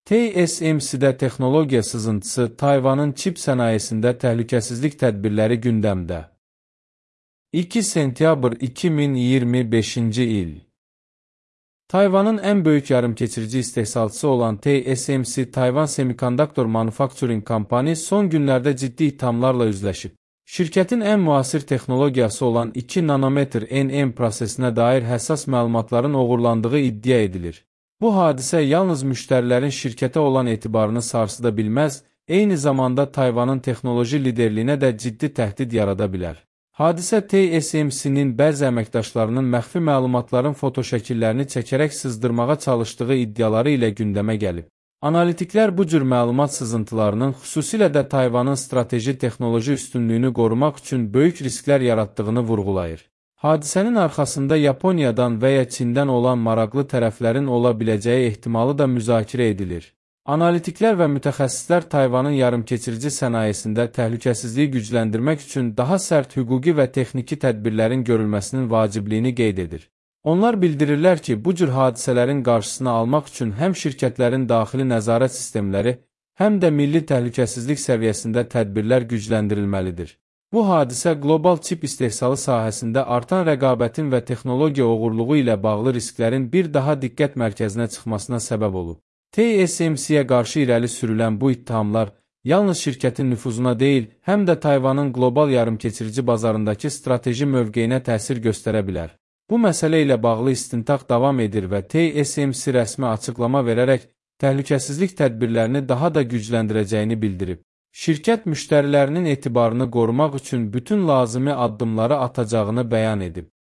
TSMC-də texnologiya sızıntısı, Tayvanın çip sənayesində təhlükəsizlik tədbirləri gündəmdə. 2 sentyabr 2025-ci il. Tayvanın ən böyük yarımkeçirici istehsalçısı olan TSMC, Tayvan Semiconductor Manufacturing Company son günlərdə ciddi ithamlarla üzləşib. Şirkətin ən müasir texnologiyası olan 2 nanometr NM prosesinə dair həssas məlumatların oğurlandığı iddia edilir. Bu hadisə yalnız müştərilərin şirkətə olan etibarını sarsıda bilməz, eyni zamanda Tayvanın texnoloji liderliyinə də ciddi təhdid yarada bilər. Hadisə TSMC-nin bəzi əməkdaşlarının məxfi məlumatların fotoşəkillərini çəkərək sızdırmağa çalışdığı iddiaları ilə gündəmə gəlib. Analitiklər bu cür məlumat sızıntılarının xüsusilə də Tayvanın strateji texnoloji üstünlüyünü qorumaq üçün böyük risklər yaratdığını vurğulayır. Hadisənin arxasında Yaponiyadan və ya Çindən olan maraqlı tərəflərin ola biləcəyi ehtimalı da müzakirə edilir. Analitiklər və mütəxəssislər Tayvanın yarımkeçirici sənayesində təhlükəsizliyi gücləndirmək üçün daha sərt hüquqi və texniki tədbirlərin görülməsinin vacibliyini qeyd edir. Onlar bildirirlər ki, bu cür hadisələrin qarşısını almaq üçün həm şirkətlərin daxili nəzarət sistemləri, həm də milli təhlükəsizlik səviyyəsində tədbirlər gücləndirilməlidir. Bu hadisə qlobal çip istehsalı sahəsində artan rəqabətin və texnologiya oğurluğu ilə bağlı risklərin bir daha diqqət mərkəzinə çıxmasına səbəb olub. TSMC-yə qarşı irəli sürülən bu ittihamlar yalnız şirkətin nüfuzuna deyil, həm də Tayvanın qlobal yarımkeçirici bazarındakı strateji mövqeyinə təsir göstərə bilər. Bu məsələ ilə bağlı istintaq davam edir və TSMC rəsmi açıqlama verərək təhlükəsizlik tədbirlərini daha da gücləndirəcəyini bildirib. Şirkət müştərilərinin etibarını qorumaq üçün bütün lazımi addımları atacağını bəyan edib.